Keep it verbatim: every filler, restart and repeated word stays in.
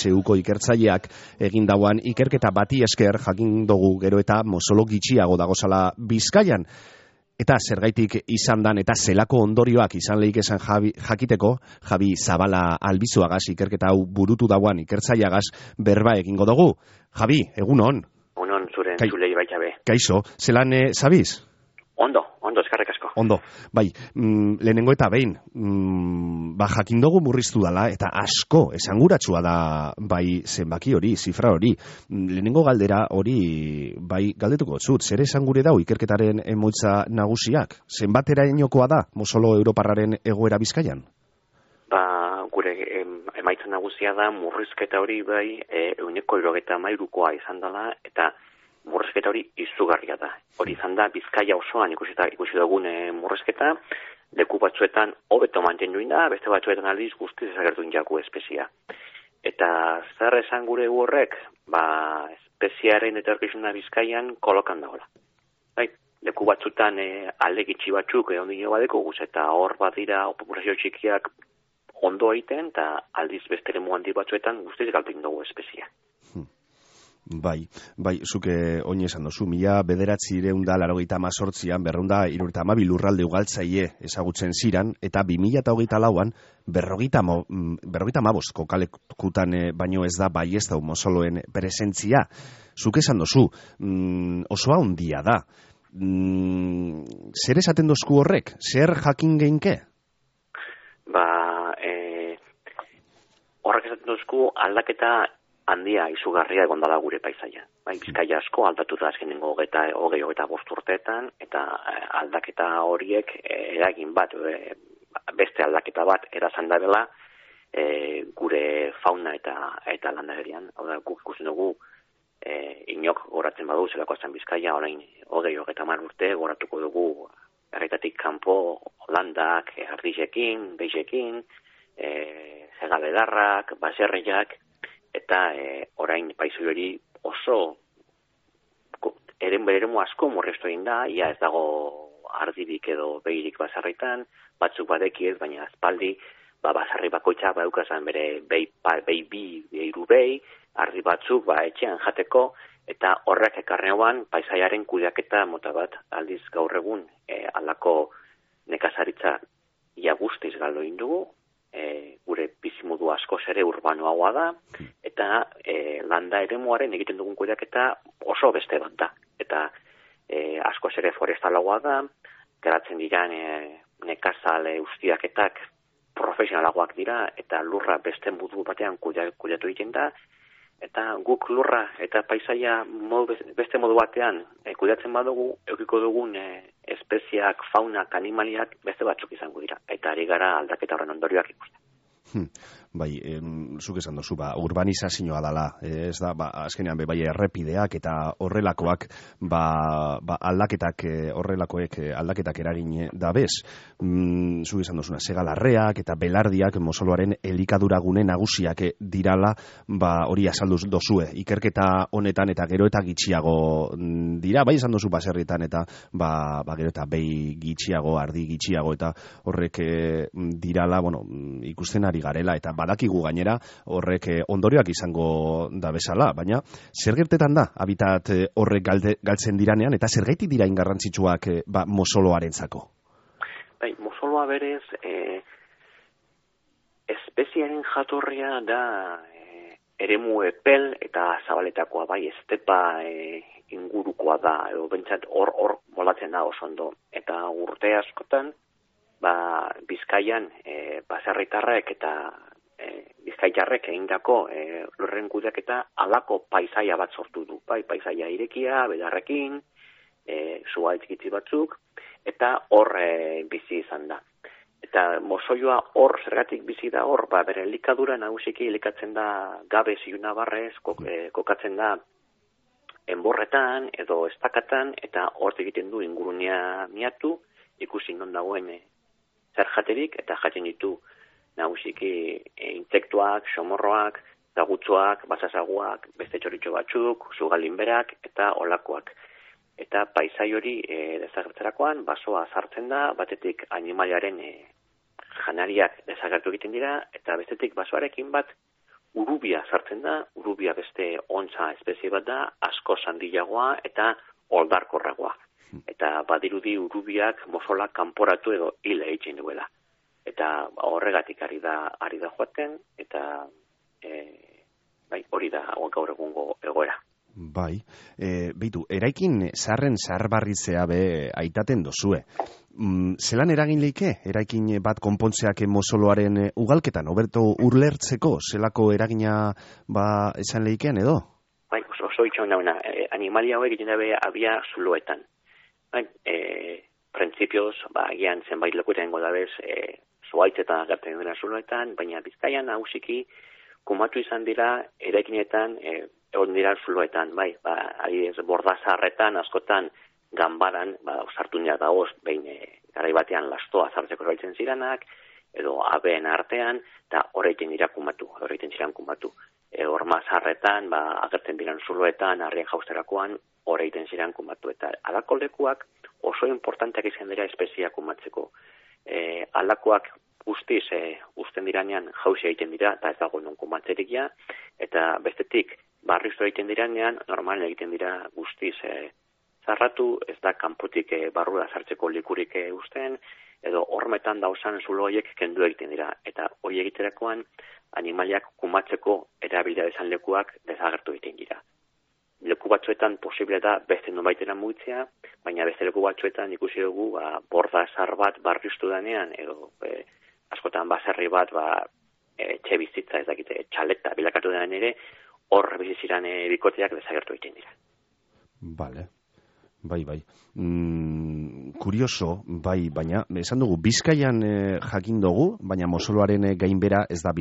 H Uko ikertzaileak egin dauan ikerketa bati esker jakin dugu gero eta mozolo gitxiago dagozala Bizkaian. Eta zergaitik izan dan eta zelako ondorioak izan lehik esan Javi, jakiteko, Javi Zabala Albizuagaz ikerketa hau burutu dauan ikertzaileagaz berba egingo dugu. Javi, egunon. Egunon, zure Kai, entzulei baitabe. Kaixo, zelan e, zabiz? Ondo, ondo, eskarrek asko. Ondo, bai, mm, lehenengo eta behin, mm, ba jakin dugu murriztu dala, eta asko, esanguratsua da, bai, zenbaki hori, zifra hori. Mm, lehenengo galdera hori, bai, galdetuko zut, zer esangure dau ikerketaren emoitza nagusiak? Zenbatera inokoa da, mozolo Europarraren egoera Bizkaian? Ba, gure em, emaitza nagusia da, murrizketa hori bai, e, euneko irogeta mairukoa izan dela, eta murrizketa hori izugarria da. Hori izan da, Bizkaia osoan ikusi, ikusi dugun e, murrizketa, leku batzuetan hobeto mantendu da, beste batzuetan aldiz guztiz ezagertu jaku espezia. Eta zer esan gure horrek, ba, espeziaren etorkizuna Bizkaian kolokan dagoela. Bai, leku batzuetan e, alde gitxi batzuk e, ondino badeko guz, eta hor badira populazio txikiak ondo egiten, eta aldiz beste eremu handi batzuetan guztiz galtzen dugu espezia. Bai, bai, zuke oin esan dozu, mila bederatzi ireunda larogeita amazortzian, berreunda irureta amabi lurralde ugaltzaile ezagutzen ziran, eta bi mila eta hogeita lauan, berrogeita amabost kokalekutan baino ez da bai ez da mozoloen presentzia. Zuk esan dozu, mm, osoa handia da. Mm, zer esaten dozku horrek? Zer jakin geinke? Ba, e, horrek esaten dozku aldaketa handia izugarria egon dela gure paisaia. Bai, Bizkaia asko aldatu da azkenengo hogeita hogei hogeita bost urteetan, eta aldaketa horiek e, eragin bat, e, beste aldaketa bat erazan da dela e, gure fauna eta eta landagerian. Hau da, guk ikusten dugu e, inok goratzen badu zelako zen Bizkaia, orain hogei hogeita hamar urte goratuko dugu herritatik kanpo Holandak, Ardizekin, Beixekin, e, Hegaledarrak, Baserriak, eta e, orain paisoi hori oso eren beremu asko murriztu egin da, ia ez dago ardirik edo behirik basarritan, batzuk badekiez, baina azpaldi, ba, basarri bakoitza baukazan bere behi, behi bi, behiru behi, ardi batzuk ba, etxean jateko, eta horrek ekarneoan paisaiaren kudeaketa mota bat, aldiz gaur egun e, aldako nekazaritza ia guztiz galdo indugu, E, gure bizimodu asko ere urbanoagoa da, eta e, landa eremuaren egiten dugun kudeaketa oso beste bat da. Eta e, asko ere forestalagoa da, geratzen diran e, nekazale ustiaketak profesionalagoak dira, eta lurra beste modu batean kudeatu egiten da, eta guk lurra eta paisaia modu, beste modu batean e, kudeatzen badugu, eukiko dugun e, espeziak, faunak, animaliak beste batzuk izango dira. Eta ari gara aldaketa horren ondorioak ikusten. Hmm. Bai, em, zuk esan dozu, ba, urbanizazioa dala, ez da, ba, azkenean be, bai, errepideak eta horrelakoak, ba, ba aldaketak, horrelakoek aldaketak eragin da bez. Mm, zuk esan dozuna, segalarreak eta belardiak mozoloaren elikaduragune nagusiak dirala, ba, hori azaldu dozue, ikerketa honetan eta gero eta gitxiago dira, bai esan dozu baserrietan eta, ba, ba gero eta behi gitxiago, ardi gitxiago eta horrek dirala, bueno, ikusten ari garela, eta badakigu gainera horrek ondorioak izango da bezala, baina zer gertetan da habitat horrek galde, galtzen diranean, eta zergaitik dira ingarrantzitsuak ba, mozoloarentzako? Bai, mozoloa berez e, espeziaren jatorria da e, eremu epel eta zabaletakoa, bai, estepa e, ingurukoa da, edo bentsat hor hor molatzen da oso ondo, eta urte askotan ba, Bizkaian e, baserritarrek eta e, bizkaitarrek egindako e, lurren kudeaketa alako paisaia bat sortu du. Bai, paisaia irekia, bedarrekin, e, zuhaitzkitzi batzuk, eta hor e, bizi izan da. Eta mozoioa hor, zergatik bizi da hor, ba, bere elikadura nagusiki elikatzen da gabe ziuna barrez, kok, e, kokatzen da enborretan edo estakatan, eta hor egiten du ingurunea miatu, ikusi non dagoen e, zer jaterik, eta jaten ditu nagusiki e, insektuak, somorroak, zagutzoak, basasaguak, beste txoritxo batzuk, zugalinberak, eta olakoak. Eta paisai hori e, desagertzerakoan, basoa sartzen da, batetik animaliaren e, janariak desagertu egiten dira, eta bestetik basoarekin bat urubia sartzen da, urubia beste ontza espezie bat da, asko handiagoa eta oldarkorragoa. Eta badirudi urubiak mosola kanporatu edo hil egiten duela. Eta horregatik ari da ari da joaten, eta e, bai, hori da gaur egungo egoera. Bai, e, beitu, eraikin zaharren zaharbarritzea be aitaten dozue. Mm, zelan eragin leike, eraikin bat konpontzeak mozoloaren ugalketan, oberto urlertzeko, zelako eragina ba esan leikean edo? Bai, oso, oso itxon dauna, e, animalia hauek egiten dabe abia zuloetan. Bai, e, printzipioz, ba, agian zenbait lekuetan godabez, e, zuaitzetan agertzen dira zuloetan, baina Bizkaian nagusiki kumatu izan dira eraikinetan, e, egon dira zuloetan, bai, ba, adibidez, bordazarretan, askotan, ganbaran, ba, sartu dira dagoz, behin e, garai batean lastoa zartzeko eraitzen ziranak, edo abeen artean, eta horreiten dira kumatu, horreiten ziran kumatu. E, Ormazarretan, ba, agertzen diran zuloetan, harrien jausterakoan, horreiten ziran kumatu. Eta alako lekuak oso importanteak izan dira espeziak kumatzeko. E, alakoak guztiz, e, uzten diranean jauzi egiten dira, eta ez dago non kumatzerikia, eta bestetik, barriztu egiten diranean, normalen egiten dira guztiz e, zarratu, ez da kanpotik e, barrura sartzeko likurik e, uzten, edo hormetan dauzan zulo horiek kendu egiten dira. Eta hori egiterakoan, animaliak kumatzeko erabilia dezan lekuak desagertu egiten dira. Leku batzuetan posible da beste nonbaitera mugitzea, baina beste leku batzuetan ikusi dugu ba, borda zar bat barriztu danean, edo e, askotan baserri bat ba, e, etxe bizitza ez dakite, txaleta bilakatu denan ere, hor biziziran e, bikoteak desagertu egiten dira. Vale. Bai, bai. Mm, kurioso, bai, baina, esan dugu, Bizkaian eh, jakin dugu, baina mozoloaren gainbera ez da